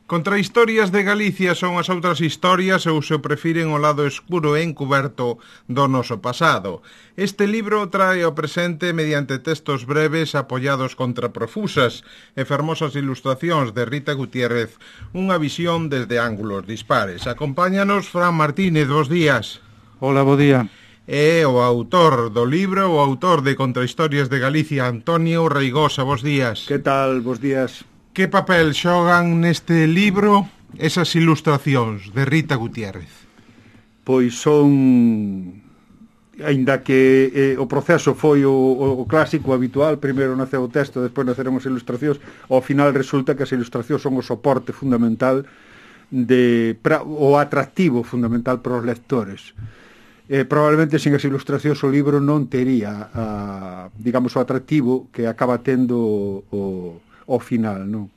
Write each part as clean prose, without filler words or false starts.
Contrahistorias de Galicia son as outras historias ou se o prefiren o lado escuro e encuberto do noso pasado. Este libro trae ao presente mediante textos breves apoiados contra profusas e fermosas ilustracións de Rita Gutiérrez, unha visión desde ángulos dispares. Acompáñanos Fran Martínez, bos días. Hola, bo día. E o autor do libro, o autor de Contrahistorias de Galicia, Antonio Reigosa, bos días. Que tal, bos días? Que papel xogan neste libro esas ilustracións de Rita Gutiérrez? Pois son, aínda que o proceso foi o clásico habitual, primeiro naceu o texto, despois naceron as ilustracións, ao final resulta que as ilustracións son o soporte fundamental, o atractivo fundamental para os lectores. Probablemente sin as ilustracións o libro non tería, digamos, o atractivo que acaba tendo ao final, non?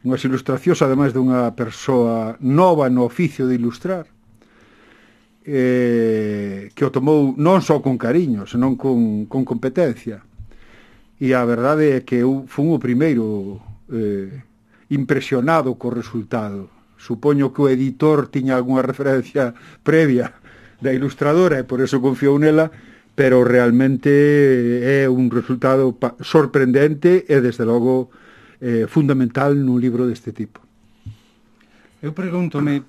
Unhas ilustracións, ademais dunha persoa nova no oficio de ilustrar, que o tomou non só con cariño, senón con competencia. E a verdade é que eu fui o primeiro impresionado co resultado. Supoño que o editor tiña algunha referencia previa da ilustradora e por eso confiou nela, pero realmente é un resultado sorprendente e, desde logo, fundamental nun libro deste tipo. Eu pregúntome,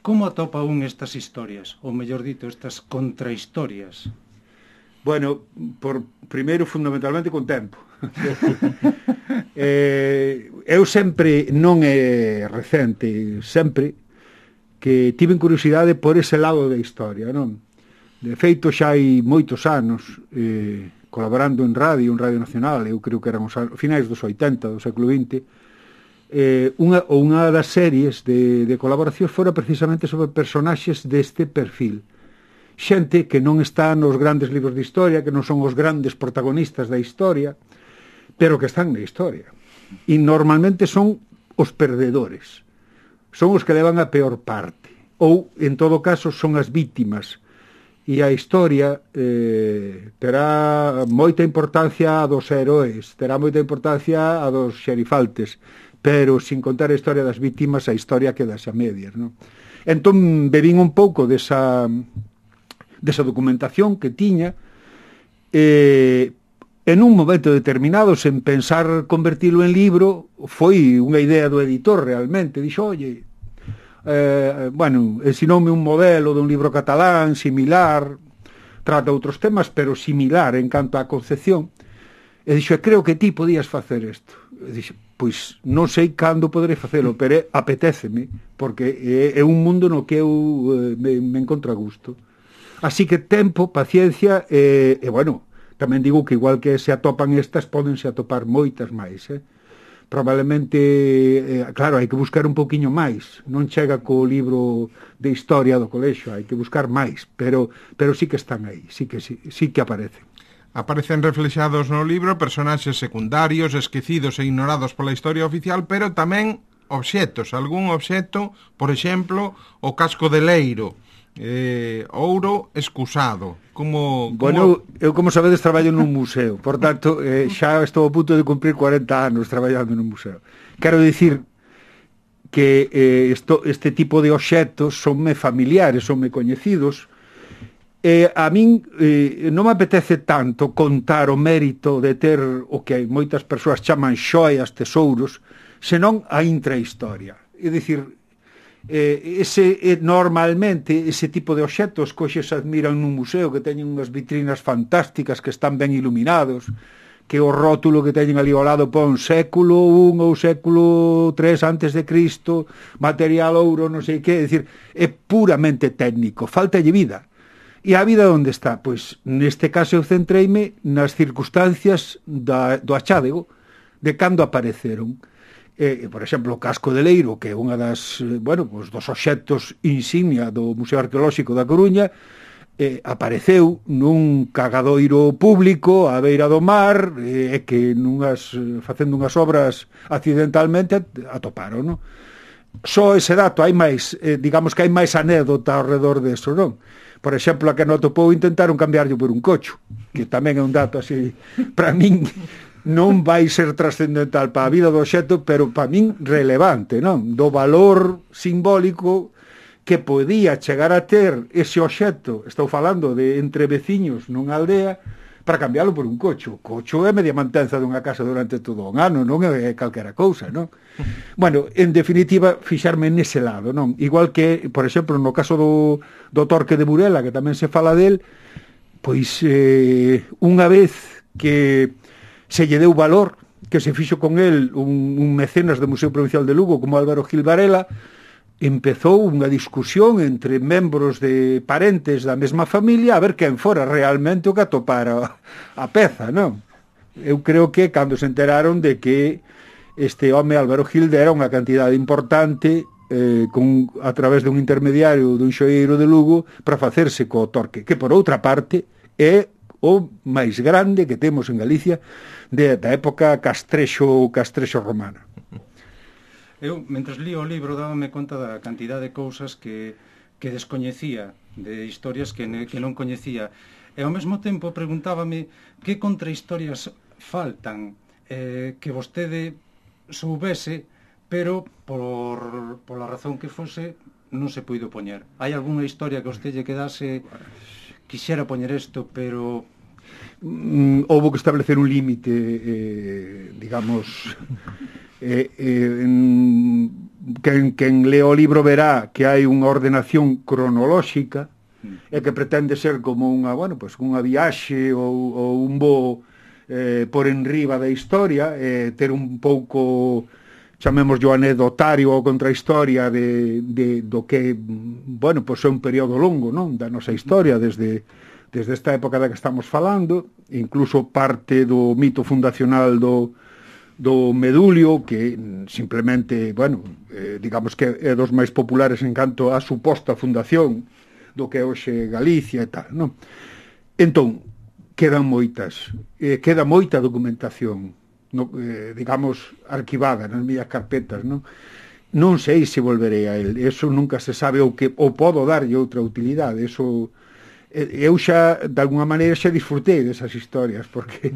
como atopa un estas historias? Ou, mellor dito, estas contrahistorias? Bueno, primeiro, fundamentalmente, con tempo. Eu sempre, non é recente, sempre que tiven curiosidade por ese lado da historia, non? De feito, xa hai moitos anos, colaborando en Radio Nacional, eu creo que eran os finais dos 80, do século XX, unha das series de colaboracións fora precisamente sobre personaxes deste perfil. Xente que non está nos grandes libros de historia, que non son os grandes protagonistas da historia, pero que están na historia. E normalmente son os perdedores. Son os que levan a peor parte. Ou, en todo caso, son as vítimas. E a historia terá moita importancia a dos heróis, terá moita importancia a dos xerifaltes, pero sin contar a historia das vítimas, a historia quedase a medias, non? Entón, bebín un pouco desa documentación que tiña, en un momento determinado, sen pensar convertilo en libro, foi unha idea do editor realmente, dixo, oye, ensinoume un modelo de un libro catalán similar, trata outros temas, pero similar en canto á concepción, e dixo, creo que ti podías facer isto. E dixo, pois non sei cando poderei facelo, pero apetéceme, porque é un mundo no que eu me encontro a gusto. Así que tempo, paciencia, e bueno, tamén digo que igual que se atopan estas, pódense atopar moitas máis, probablemente, claro, hai que buscar un poquinho máis, non chega co libro de historia do colexio, hai que buscar máis, pero sí que están aí, sí que aparecen. Aparecen reflexados no libro personaxes secundarios, esquecidos e ignorados pola historia oficial, pero tamén obxetos, algún obxeto, por exemplo, o casco de Leiro, ouro escusado. Bueno, eu, como sabedes, traballo nun museo, por tanto, xa estou a punto de cumprir 40 anos traballando nun museo. Quero dicir que este tipo de obxetos sonme familiares, sonme coñecidos, a min non me apetece tanto contar o mérito de ter o que moitas persoas chaman xoias, tesouros, senón a intrahistoria. É dicir, normalmente ese tipo de obxetos que hoxe se admiran nun museo, que teñen unhas vitrinas fantásticas, que están ben iluminados, que o rótulo que teñen ali ao lado pon século I ou século III antes de Cristo, material ouro, non sei que, é dicir, é puramente técnico, faltalle vida. E a vida onde está? Pois neste caso eu centreime nas circunstancias do achádego, de cando apareceron. Por exemplo, o casco de Leiro, que é unha dos obxectos insignia do Museo Arqueolóxico da Coruña, apareceu nun cagadoiro público á beira do mar, que facendo unhas obras accidentalmente atoparon, non? Só ese dato, hai máis, digamos que hai máis anécdota ao redor deso, non? Por exemplo, a que non atopou intentaron cambiarlo por un cocho, que tamén é un dato así, para min, non vai ser trascendental para a vida do obxecto, pero para min relevante, non? Do valor simbólico que podía chegar a ter ese obxecto, estou falando de entre veciños nunha aldea, para cambiálo por un cocho. O cocho é media mantenza dunha casa durante todo un ano, non é calquera cousa, non? Bueno, en definitiva, fixarme nese lado, non? Igual que, por exemplo, no caso do Torque de Burela, que tamén se fala del, pois unha vez que se lle deu valor, que se fixo con el un mecenas do Museo Provincial de Lugo como Álvaro Gil Varela, empezou unha discusión entre membros de parentes da mesma familia a ver quen fora realmente o que atopara a peza, non? Eu creo que cando se enteraron de que este home Álvaro Gil dera unha cantidade importante a través dun intermediario dun xoeiro de Lugo para facerse co Torque, que por outra parte é o máis grande que temos en Galicia da época castrexo romana. Eu, mentres lío o libro, dábame conta da cantidad de cousas que descoñecía, de historias que non coñecía. E ao mesmo tempo preguntábame que contrahistorias faltan que vostede soubese, pero pola razón que fose non se puido poñer. Hai algunha historia que vostede lle quedase quixera poñer isto, pero houve que establecer un límite, digamos... quen lea o libro verá que hai unha ordenación cronolóxica e que pretende ser como unha, bueno, pues unha viaxe ou un voo por enriba da historia, ter un pouco, chamemos yo anedotario ou contrahistoria do que, bueno, pues é un período longo, non, da nosa historia desde esta época da que estamos falando, incluso parte do mito fundacional do Medulio, que simplemente, bueno, digamos que é dos máis populares en canto a suposta fundación do que é hoxe Galicia e tal, non? Entón, queda moita documentación, digamos, arquivada nas miñas carpetas, non? Non sei se volverei a el, eso nunca se sabe, ou podo darlle outra utilidade, eso... Eu xa, de alguna maneira, xa disfrutei desas historias, porque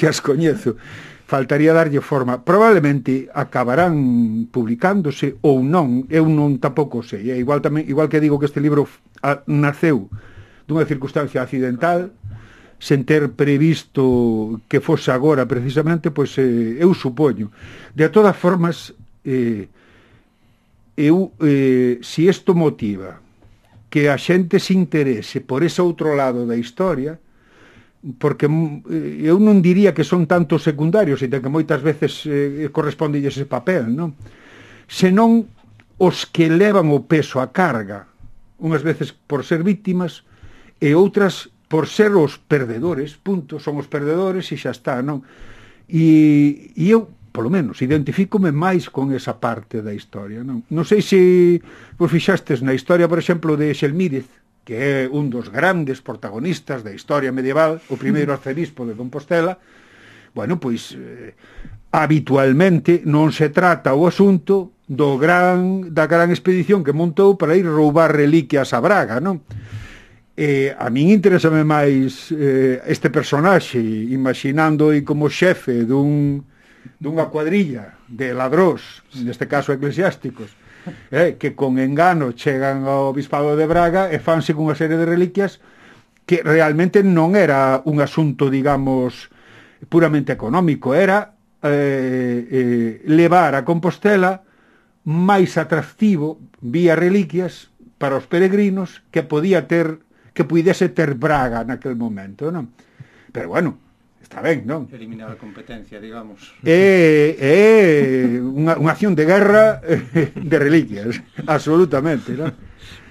as coñezo. Faltaría darlle forma. Probablemente acabarán publicándose ou non, eu non tampouco sei. Igual que digo que este libro naceu dunha circunstancia accidental, sen ter previsto que fose agora precisamente, pois eu supoño. De todas formas, se isto motiva que a xente se interese por ese outro lado da historia, porque eu non diría que son tantos secundarios, e que moitas veces corresponde ese papel, non? Senón os que levan o peso, a carga, unhas veces por ser víctimas e outras por ser os perdedores, punto, son os perdedores e xa está, non? E eu, polo menos, identifícome máis con esa parte da historia, non? Non sei se vos fixastes na historia, por exemplo, de Xelmírez, que é un dos grandes protagonistas da historia medieval, o primeiro arcebispo de Compostela. Bueno, pois, habitualmente non se trata o asunto da gran expedición que montou para ir roubar reliquias a Braga, non? A min interésame máis este personaxe, imaginando como xefe dunha cuadrilla de ladróns, neste caso eclesiásticos, que con engano chegan ao bispado de Braga e fanse cunha serie de reliquias que realmente non era un asunto, digamos, puramente económico, era levar a Compostela máis atractivo vía reliquias para os peregrinos que puidese ter Braga naquel momento, non? Pero bueno, está ben, non? Eliminar a competencia, digamos. É unha acción de guerra de reliquias, absolutamente, non?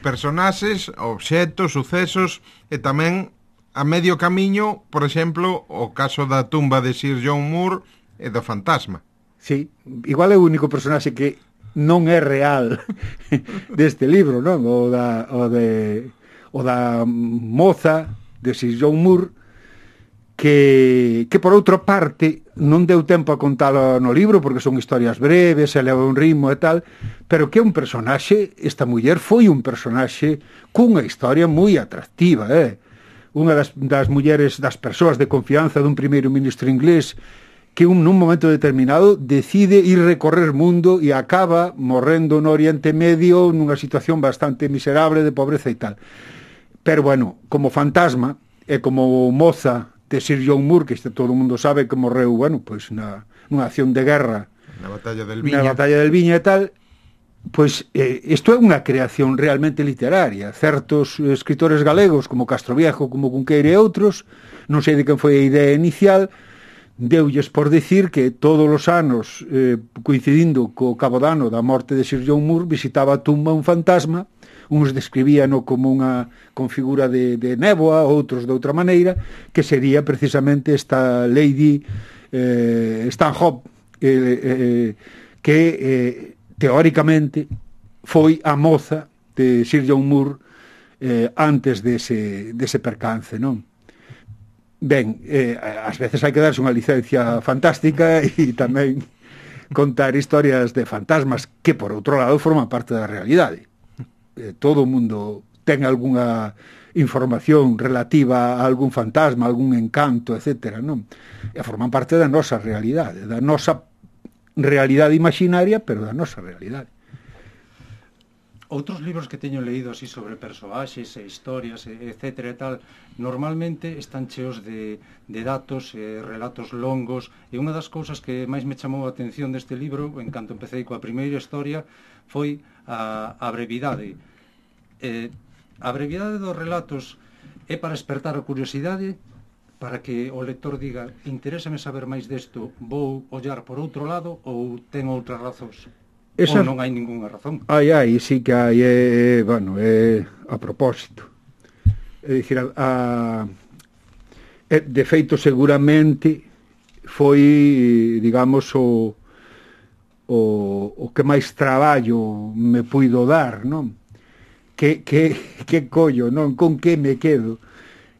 Personaxes, obxectos, sucesos e tamén a medio camiño, por exemplo, o caso da tumba de Sir John Moore e do fantasma. Sí, igual é o único personaxe que non é real deste libro, non? O da moza de Sir John Moore, que por outra parte non deu tempo a contalo no libro porque son historias breves, se leva un ritmo e tal, pero que é un personaxe, esta muller foi un personaxe cunha historia moi atractiva, unha das mulleres, das persoas de confianza dun primeiro ministro inglés que nun momento determinado decide ir recorrer mundo e acaba morrendo no Oriente Medio nunha situación bastante miserable de pobreza e tal. Pero bueno, como fantasma e como moza de Sir John Moore, que todo o mundo sabe que morreu, bueno, pois nunha acción de guerra na Batalla del Viña e tal, pois isto é unha creación realmente literaria. Certos escritores galegos como Castroviejo, como Cunqueira e outros, non sei de quen foi a idea inicial, deulles por decir que todos os anos, coincidindo co cabo dano da morte de Sir John Moore, visitaba a tumba un fantasma, uns describíano como unha configura de néboa, outros de outra maneira, que sería precisamente esta Lady Stanhope, que teóricamente foi a moza de Sir John Moore antes dese percance, non? Ben, ás veces hai que darse unha licencia fantástica e tamén contar historias de fantasmas que, por outro lado, forman parte da realidade. Todo o mundo ten algunha información relativa a algún fantasma, algún encanto, etc., non? E forman parte da nosa realidade, da nosa realidade imaginaria, pero da nosa realidade. Outros libros que teño leído así sobre persoaxes e historias, etcétera e tal, normalmente están cheos de datos e relatos longos, e unha das cousas que máis me chamou a atención deste libro, en canto empecé coa primeira historia, foi a brevidade. A brevidade dos relatos é para espertar a curiosidade, para que o lector diga, interésame saber máis desto, vou ollar por outro lado, ou ten outras razóns? Ou non hai ningunha razón? Sí que hai, bueno, a propósito. É dicir, de feito seguramente foi, digamos, o que máis traballo me puido dar, non? Que collo, non? Con que me quedo?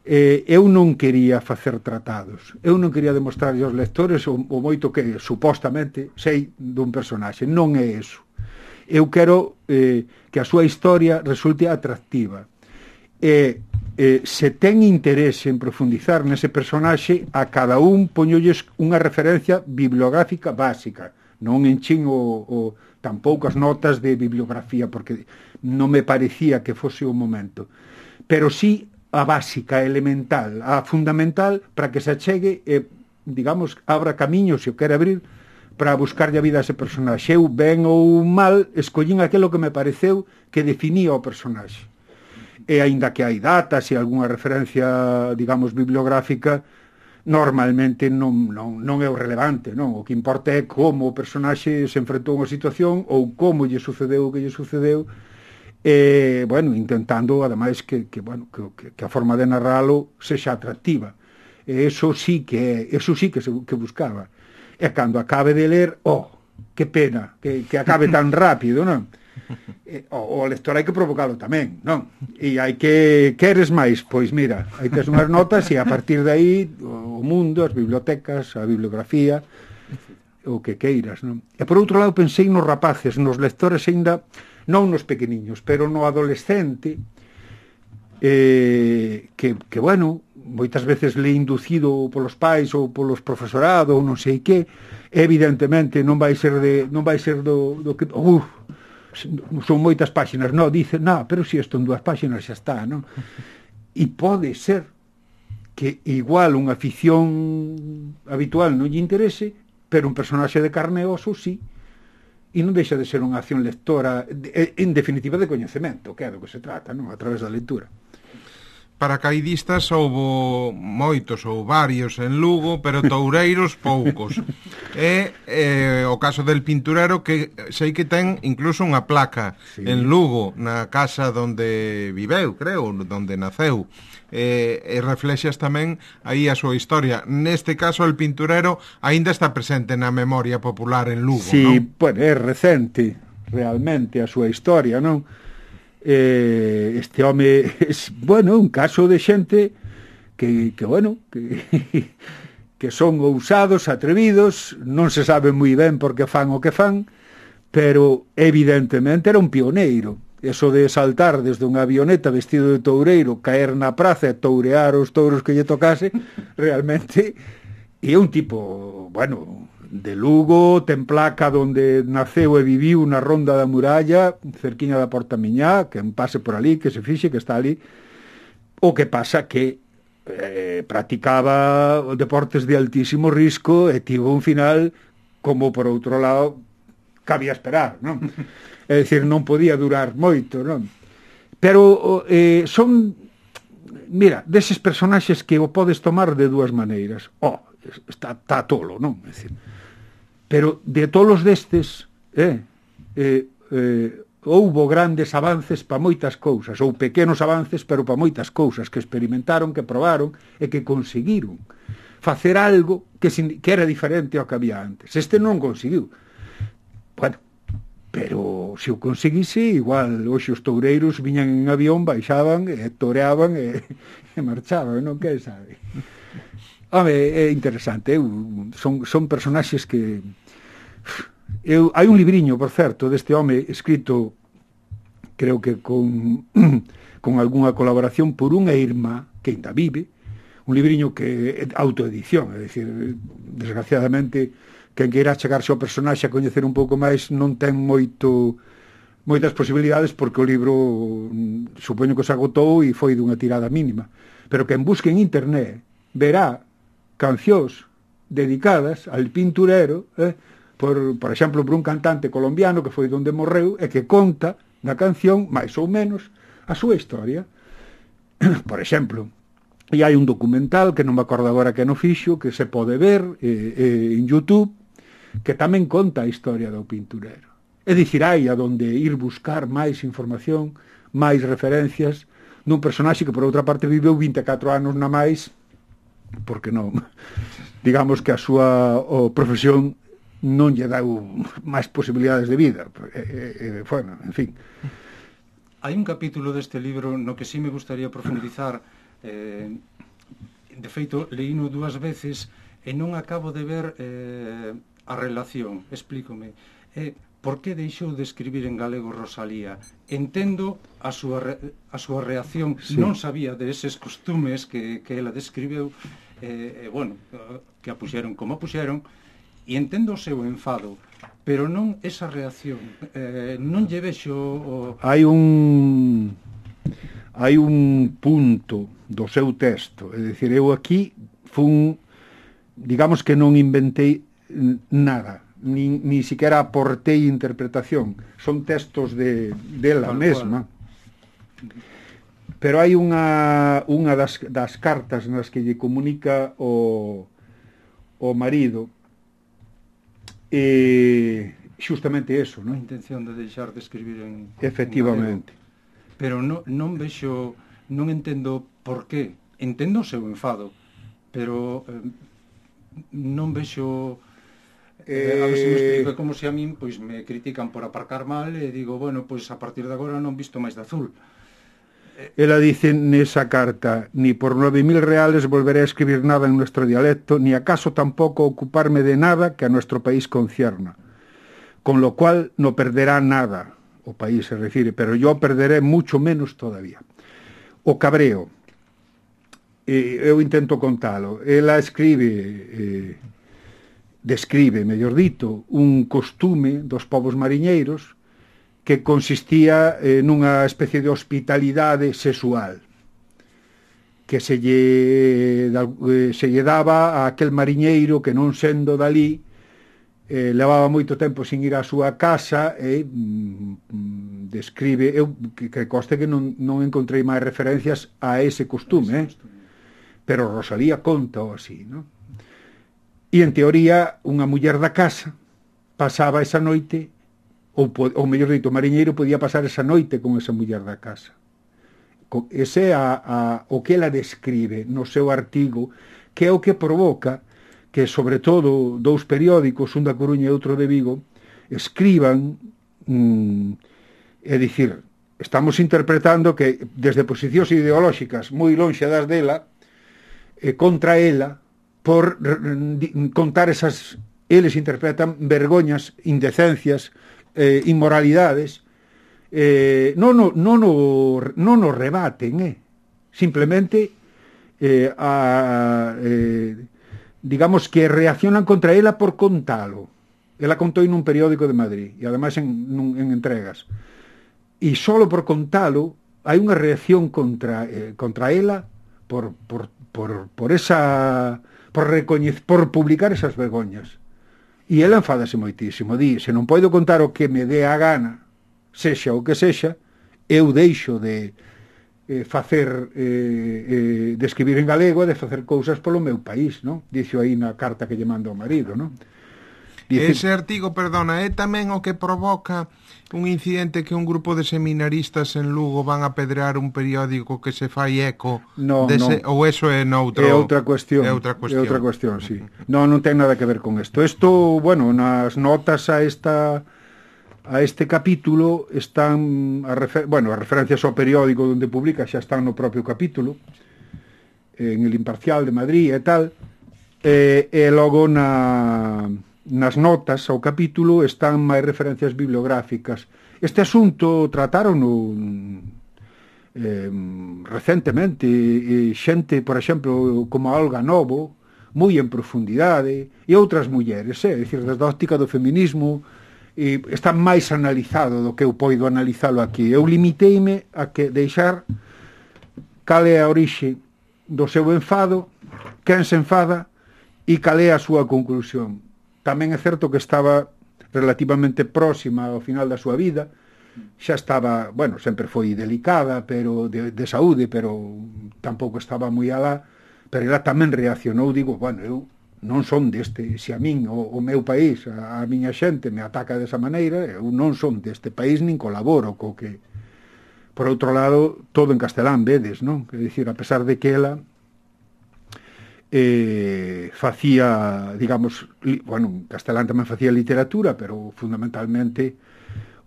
Eu non quería facer tratados, eu non quería demostrarlle aos lectores o moito que supostamente sei dun personaxe, non é eso. Eu quero que a súa historia resulte atractiva, se ten interese en profundizar nese personaxe, a cada un poñolles unha referencia bibliográfica básica, non enchín tan poucas notas de bibliografía, porque non me parecía que fose o momento, pero sí a básica, elemental, a fundamental, para que se achegue e, digamos, abra camiños, se o quere abrir, para buscarlle a vida a ese personaxe. Eu, ben ou mal, escollín aquilo que me pareceu que definía o personaxe. E aínda que hai datas e algunha referencia, digamos, bibliográfica, normalmente non é o relevante, non? O que importa é como o personaxe se enfrentou a unha situación ou como lle sucedeu o que lle sucedeu, bueno, intentando ademais que a forma de narralo sexa atractiva. Eso sí que buscaba. E cando acabe de ler, que pena que acabe tan rápido, non? O lector hai que provocalo tamén, non? E hai que, queres máis? Pois mira, hai tes unhas notas e a partir de aí o mundo, as bibliotecas, a bibliografía, o que queiras, non? E por outro lado pensei nos rapaces, nos lectores aínda, non nos pequeniños, pero no adolescente, que bueno, moitas veces le inducido polos pais ou polos profesorado ou non sei que, evidentemente non vai ser do que son moitas páxinas, dice, pero si isto en 2 páxinas xa está, non? E pode ser que igual unha ficción habitual non lle interese, pero un personaxe de carne e oso sí, e non deixa de ser unha acción lectora, en definitiva, de coñecemento, que é do que se trata, non? A través da lectura. Paracaidistas houbo moitos ou varios en Lugo, pero toureiros poucos. É o caso del Pinturero, que sei que ten incluso unha placa en Lugo, na casa donde viveu, creo, donde naceu. E reflexas tamén aí a súa historia. Neste caso, el Pinturero aínda está presente na memoria popular en Lugo, non? Sí, bueno, é recente realmente a súa historia, non? Este home é, bueno, un caso de xente que son ousados, atrevidos, non se sabe moi ben por que fan o que fan, pero evidentemente era un pioneiro. Eso de saltar desde unha avioneta vestido de toureiro, caer na praza e tourear os touros que lle tocase, realmente E é un tipo, bueno, de Lugo, ten placa donde naceu e viviu na Ronda da Muralla, cerquiña da Porta Miñá, que pase por ali, que se fixe, que está ali. O que pasa que practicaba deportes de altísimo risco e tivo un final, como por outro lado cabía esperar, non? É dicir, non podía durar moito, non? Pero son, mira, deses personaxes que o podes tomar de dúas maneiras. Está tolo, non? É dicir, pero de tolos destes houbo grandes avances para moitas cousas, ou pequenos avances, pero para moitas cousas, que experimentaron, que probaron e que conseguiron facer algo que era diferente ao que había antes. Este non conseguiu. Bueno, pero se o conseguise, igual hoxe os toureiros viñan en avión, baixaban e toreaban e marchaban, non? Que sabe? Home, é interesante. Son personaxes que... hai un libriño, por certo, deste home escrito, creo que con algunha colaboración por unha irmá que ainda vive, un libriño que é autoedición, é dicir, desgraciadamente, quen queira chegarse ao personaxe a coñecer un pouco máis non ten moitas posibilidades, porque o libro supoño que se agotou e foi dunha tirada mínima, pero quen busque en internet verá cancións dedicadas al pinturero, por exemplo, por un cantante colombiano que foi donde morreu e que conta na canción, máis ou menos, a súa historia. Por exemplo, e hai un documental que non me acordo agora que no fixo, que se pode ver en YouTube, que tamén conta a historia do pinturero. É dicir, hai a donde ir buscar máis información, máis referencias dun personaxe que por outra parte viveu 24 anos na máis, porque non, digamos que a súa profesión non lle deu máis posibilidades de vida. Bueno, en fin. Hai un capítulo deste libro no que sí me gustaría profundizar. De feito, leíno 2 veces e non acabo de ver a relación. Explícome. Por que deixou de escribir en galego Rosalía? Entendo a súa reacción. Sí. Non sabía de eses costumes que ela describeu, bueno, que a puxeron como a puxeron, e entendo o seu enfado, pero non esa reacción. Non lle vexo... Hai un punto do seu texto, é dicir, eu aquí digamos que non inventei nada, ni siquiera aportei interpretación, son textos dela mesma, pero hai unha das cartas nas que lle comunica o marido, xustamente eso, non? A intención de deixar de escribir en... Efectivamente. Pero non vexo, non entendo por qué. Entendo o seu enfado, pero non vexo... a ver se me explico, é como se a min pois me critican por aparcar mal e digo, bueno, pois a partir de agora non visto máis de azul. Ela dice nesa carta: ni por 9.000 reales volveré a escribir nada en nuestro dialecto, ni acaso tampoco ocuparme de nada que a nuestro país concierna, con lo cual no perderá nada, o país se refiere, pero yo perderé mucho menos todavía. O cabreo, eu intento contalo, ela describe, mellor dito, un costume dos povos mariñeiros que consistía nunha especie de hospitalidade sexual que se lle daba a aquel mariñeiro que, non sendo dali, levaba moito tempo sin ir á súa casa, e describe, eu que coste que non encontrei máis referencias a ese costume, pero Rosalía conta así, non? E en teoría unha muller da casa pasaba esa noite, ou mellor dito, o mariñeiro podía pasar esa noite con esa muller da casa. Ese é o que ela describe no seu artigo, que é o que provoca que, sobre todo, 2 periódicos, un da Coruña e outro de Vigo, escriban, é dicir, estamos interpretando que desde posicións ideolóxicas moi lonxe das dela, contra ela, por contar esas, eles interpretan vergoñas, indecencias, inmoralidades, non o rebaten, simplemente digamos que reaccionan contra ela por contalo. Ela contou nun periódico de Madrid e ademais en entregas. E solo por contalo hai unha reacción contra ela por publicar esas vergoñas. E ela enfádase moitísimo, di, se non podo contar o que me dé a gana, sexa o que sexa, eu deixo de de escribir en galego e de facer cousas polo meu país, non? Dixo aí na carta que lle manda ao marido, non? Ese artigo, perdona, é tamén o que provoca un incidente que un grupo de seminaristas en Lugo van a pedrear un periódico que se fai eco dese, ou eso é noutro... É outra cuestión. É outra cuestión, sí. Non ten nada que ver con isto. Isto, bueno, nas notas a este capítulo están as referencias ao periódico onde publica xa están no propio capítulo, en El Imparcial de Madrid e tal, e logo nas notas ao capítulo están máis referencias bibliográficas. Este asunto tratarono recentemente xente, por exemplo, como a Olga Novo, moi en profundidade, e outras mulleres, é dicir, desde a óptica do feminismo, e está máis analizado do que eu poido analizalo aquí. Eu limiteime a que deixar cal é a orixe do seu enfado, quen se enfada e cal é a súa conclusión. Tamén é certo que estaba relativamente próxima ao final da súa vida, xa estaba, bueno, sempre foi delicada, pero de saúde, pero tampouco estaba moi alá, pero ela tamén reaccionou, digo, bueno, eu non son deste, se a min, o meu país, a miña xente me ataca desa maneira, eu non son deste país, nin colaboro co que... Por outro lado, todo en castelán, vedes, non? É dicir, a pesar de que ela facía, digamos, bueno, castelán tamén facía literatura, pero fundamentalmente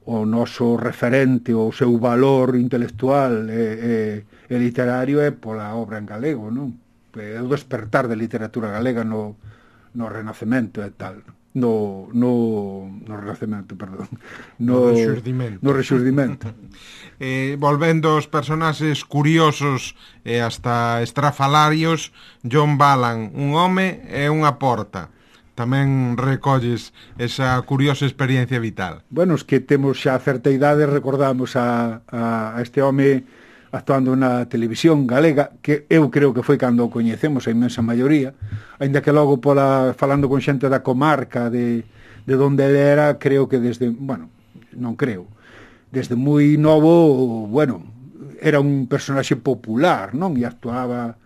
o noso referente, o seu valor intelectual e literario é pola obra en galego, non? É o despertar de literatura galega no Renacemento e tal, no Renacemento, perdón, no Rexurdimento. Volvendo aos personaxes curiosos e hasta estrafalarios, John Ballan, un home e unha porta. Tamén recolles esa curiosa experiencia vital. Bueno, os que temos xa certa idade recordamos a este home actuando na televisión galega, que eu creo que foi cando o coñecemos a inmensa maioría, aínda que logo falando con xente da comarca de onde ele era, creo que desde, bueno, non creo, desde moi novo, bueno, era un personaxe popular, non? E actuaba,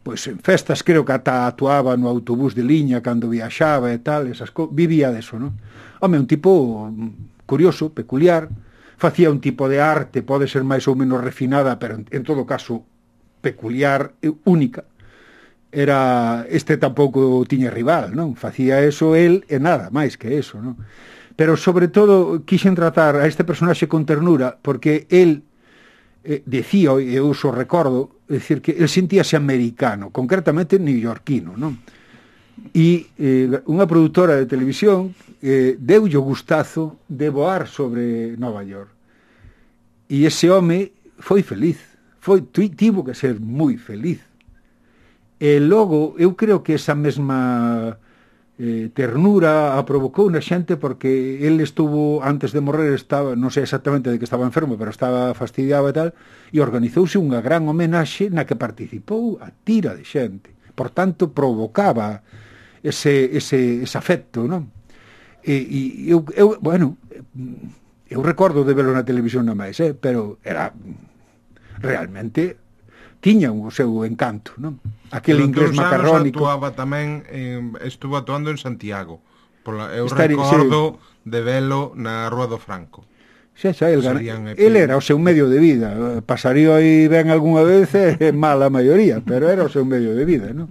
pois en festas, creo que ata actuaba no autobús de liña cando viaxaba e tal, vivía deso, non? Home, un tipo curioso, peculiar, facía un tipo de arte, pode ser máis ou menos refinada, pero en todo caso peculiar, única. Este tampouco tiña rival, non? Facía eso el e nada máis que eso, non? Pero sobre todo quixen tratar a este personaxe con ternura, porque el decía, e eu uso recordo, é dicir que el sentíase americano, concretamente neoyorquino, non? E unha produtora de televisión deulle o gustazo de voar sobre Nova York. E ese home foi feliz, tivo que ser moi feliz. E logo, eu creo que esa mesma ternura a provocou na xente, porque ele estuvo, antes de morrer, estaba, non sei exactamente de que estaba enfermo, pero estaba fastidiado e tal, e organizouse unha gran homenaxe na que participou a tira de xente. Por tanto, provocaba ese afecto, non? E eu recordo de verlo na televisión na máis, pero era realmente tiña o seu encanto, non? Aquel inglés macarrónico. Actuaba tamén, estuvo actuando en Santiago. Eu recordo de velo na Rúa do Franco. Xa, el era o seu medio de vida. Pasaría aí ben algunha vez, mal a maioría, pero era o seu medio de vida, non?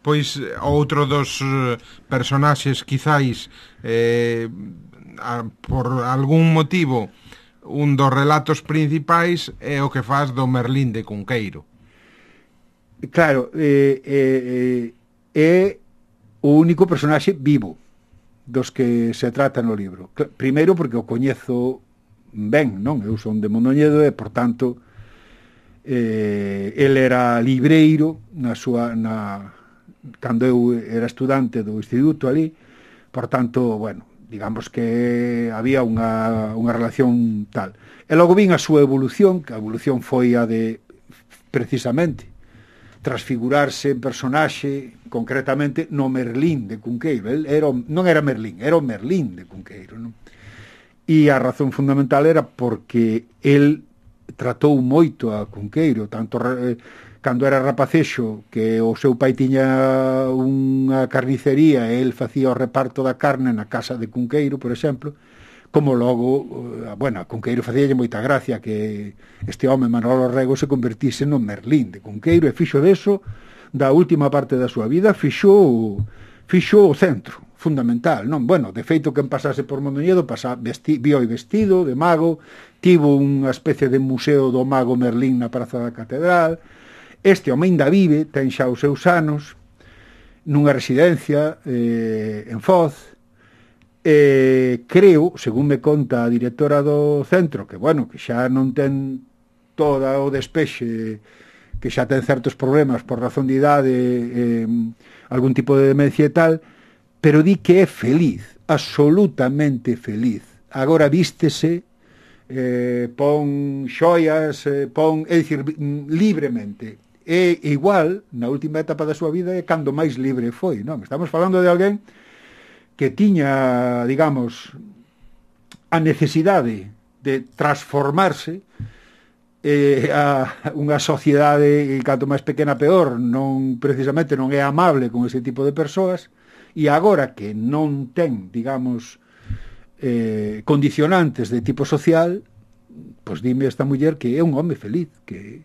Pois outro dos personaxes quizáis por algún motivo un dos relatos principais é o que faz do Merlín de Cunqueiro. Claro, é o único personaxe vivo dos que se trata no libro. Primeiro porque o coñezo ben, non? Eu son de Mondoñedo e, por tanto, El era libreiro cando eu era estudante do instituto ali, por tanto, bueno, digamos que había unha relación tal. E logo vin a súa evolución, que a evolución foi a de, precisamente, transfigurarse en personaxe, concretamente no Merlín de Cunqueiro. Non era Merlín, era o Merlín de Cunqueiro, non? E a razón fundamental era porque el tratou moito a Cunqueiro, tanto cando era rapacexo, que o seu pai tiña unha carnicería e el facía o reparto da carne na casa de Cunqueiro, por exemplo, como logo, bueno, a Cunqueiro facíalle moita gracia que este home Manolo Rego se convertise no Merlín de Cunqueiro, e fixo deso, da última parte da súa vida, fixo o centro fundamental, non? Bueno, de feito, quen pasase por Mondoñedo vio vestido de mago, tivo unha especie de museo do mago Merlín na Praza da Catedral. Este home ainda vive, ten xa os seus anos, nunha residencia en Foz. Creo, según me conta a directora do centro, que bueno, que xa non ten toda o despexe, que xa ten certos problemas por razón de idade, algún tipo de demencia e tal, pero di que é feliz, absolutamente feliz. Agora vístese, pon xoias, é dicir, libremente. E igual, na última etapa da súa vida, é cando máis libre foi, non? Estamos falando de alguén que tiña, digamos, a necesidade de transformarse a unha sociedade, canto máis pequena peor, precisamente non é amable con ese tipo de persoas, e agora que non ten, digamos, condicionantes de tipo social, pois dime esta muller que é un home feliz, que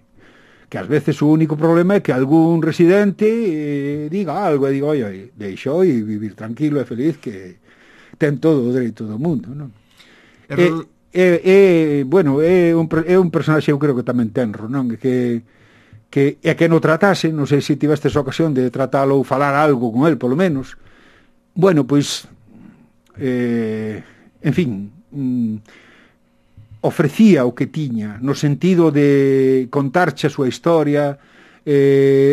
ás veces o único problema é que algún residente diga algo e diga, oi, deixou e vivir tranquilo e feliz, que ten todo o dereito do mundo, non? Bueno, é un personaxe, eu creo que tamén tenro, non? Que no tratase, non sei se tivestes ocasión de tratalo ou falar algo con el, polo menos. Bueno, pois, en fin, ofrecía o que tiña, no sentido de contarche a súa historia,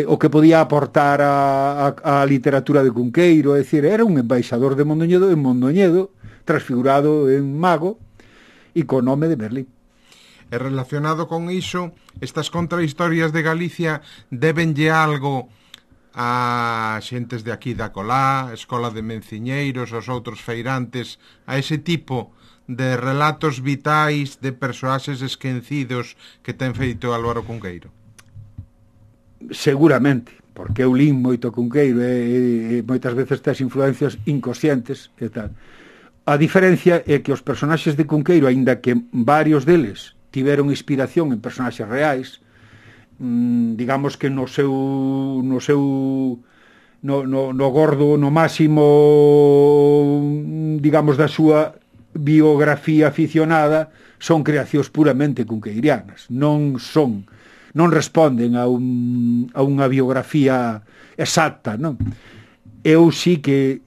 o que podía aportar a literatura de Cunqueiro, é dicir, era un embaixador de Mondoñedo, transfigurado en mago, e co nome de Merlín. E relacionado con iso, estas contrahistorias de Galicia debenlle algo a xentes de aquí da Colá, Escola de Menciñeiros, os outros feirantes, a ese tipo de relatos vitais de persoaxes esquecidos que ten feito Álvaro Cunqueiro? Seguramente, porque eu lín moito Cunqueiro e moitas veces tes influencias inconscientes e tal. A diferencia é que os personaxes de Cunqueiro, aínda que varios deles tiveron inspiración en personaxes reais, digamos que no gordo, no máximo, digamos, da súa biografía aficionada, son creacións puramente cunqueirianas, non responden a unha biografía exacta, non? Eu sí que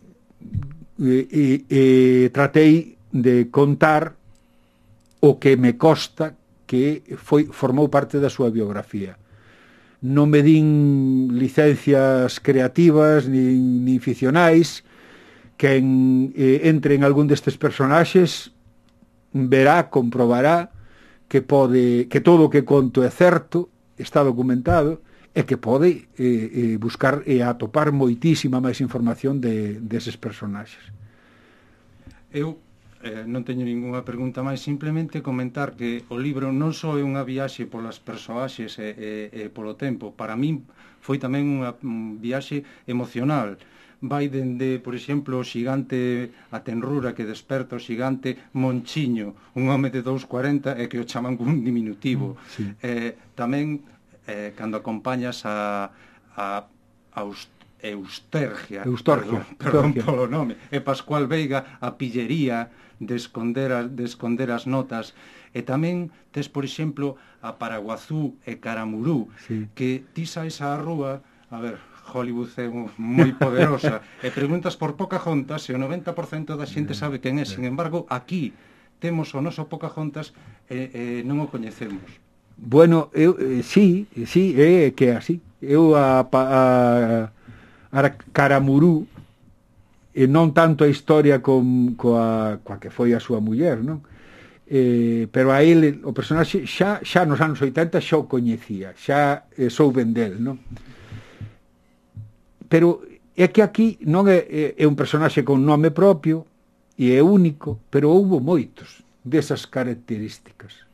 tratei de contar o que me consta que formou parte da súa biografía. Non me din licencias creativas ni ficcionais. Quen entre en algún destes personaxes comprobará que todo o que conto é certo, está documentado, e que pode buscar e atopar moitísima máis información deses personaxes. Eu non teño ningunha pregunta máis, simplemente comentar que o libro non só é unha viaxe polas persoaxes e polo tempo, para min foi tamén unha viaxe emocional. Vai dende, por exemplo, o xigante a tenrura que desperta o xigante Monchiño, un home de 2,40 e que o chaman un diminutivo. Sí. Tamén, cando acompañas a Eustorgia, perdón polo nome, e Pascual Veiga, a pillería de esconder as notas, e tamén tes, por exemplo, a Paraguazú e Caramurú, sí, que ti saes á rúa, a ver, Hollywood é moi poderosa, e preguntas por Pocahontas e o 90% da xente sabe quen é. Sin embargo, aquí temos o noso Pocahontas e non o coñecemos. Bueno, sí, é que é así. Eu a Caramurú, e non tanto a historia coa que foi a súa muller, non? Pero a ele, o personaxe xa nos anos 80 xa o coñecía, xa souben del, non? Pero é que aquí non é un personaxe con nome propio e é único, pero houbo moitos desas características.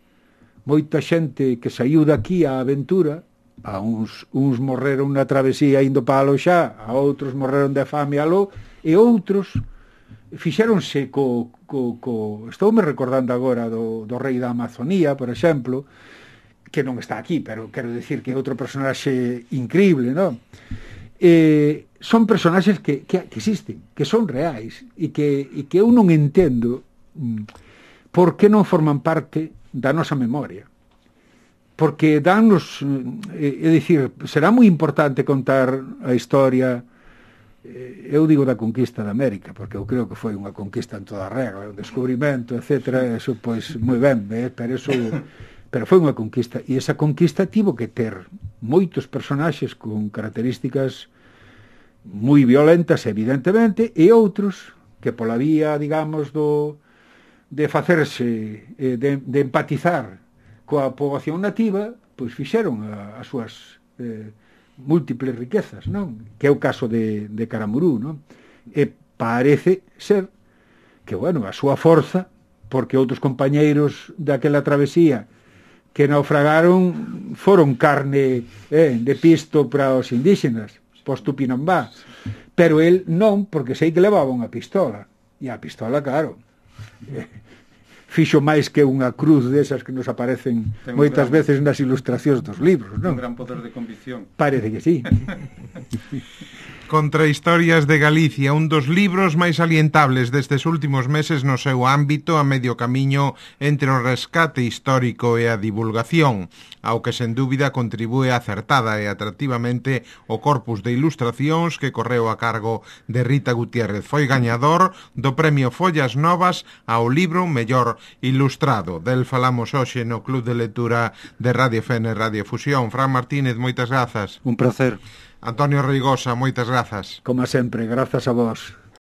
Moita xente que saiu daqui á aventura, a uns morreron na travesía indo para Aloxá, a outros morreron de fame aló, e outros fixéronse estoume recordando agora do rei da Amazonía, por exemplo, que non está aquí, pero quero decir que é outro personaxe increíble, non? Son personaxes que existen, que son reais, e que eu non entendo por que non forman parte da nosa memoria. Porque dannos, é dicir, será moi importante contar a historia, eu digo da conquista de América, porque eu creo que foi unha conquista en toda regla, un descubrimento, etc. Eso, pois, moi ben, pero foi unha conquista, e esa conquista tivo que ter moitos personaxes con características moi violentas, evidentemente, e outros que pola vía, digamos, de facerse, de empatizar coa poboación nativa, pois fixeron as súas múltiples riquezas, non? Que é o caso de Caramurú, non? E parece ser que, bueno, a súa forza, porque outros compañeiros daquela travesía que naufragaron foron carne de pisto para os indígenas, pois Tupinambá, pero el non, porque sei que levaba unha pistola, e a pistola, claro, fixo máis que unha cruz desas que nos aparecen moitas veces nas ilustracións dos libros, non? Un gran poder de convicción. Parece que sí. Contrahistorias de Galicia, un dos libros máis alientables destes últimos meses no seu ámbito, a medio camiño entre o rescate histórico e a divulgación, ao que sen dúbida contribúe acertada e atractivamente o corpus de ilustracións que correu a cargo de Rita Gutiérrez. Foi gañador do premio Follas Novas ao libro mellor ilustrado. Del falamos hoxe no Club de Lectura de Radio FN e Radio Fusión. Fran Martínez, moitas grazas. Un placer. Antonio Reigosa, moitas grazas. Como sempre, grazas a vos.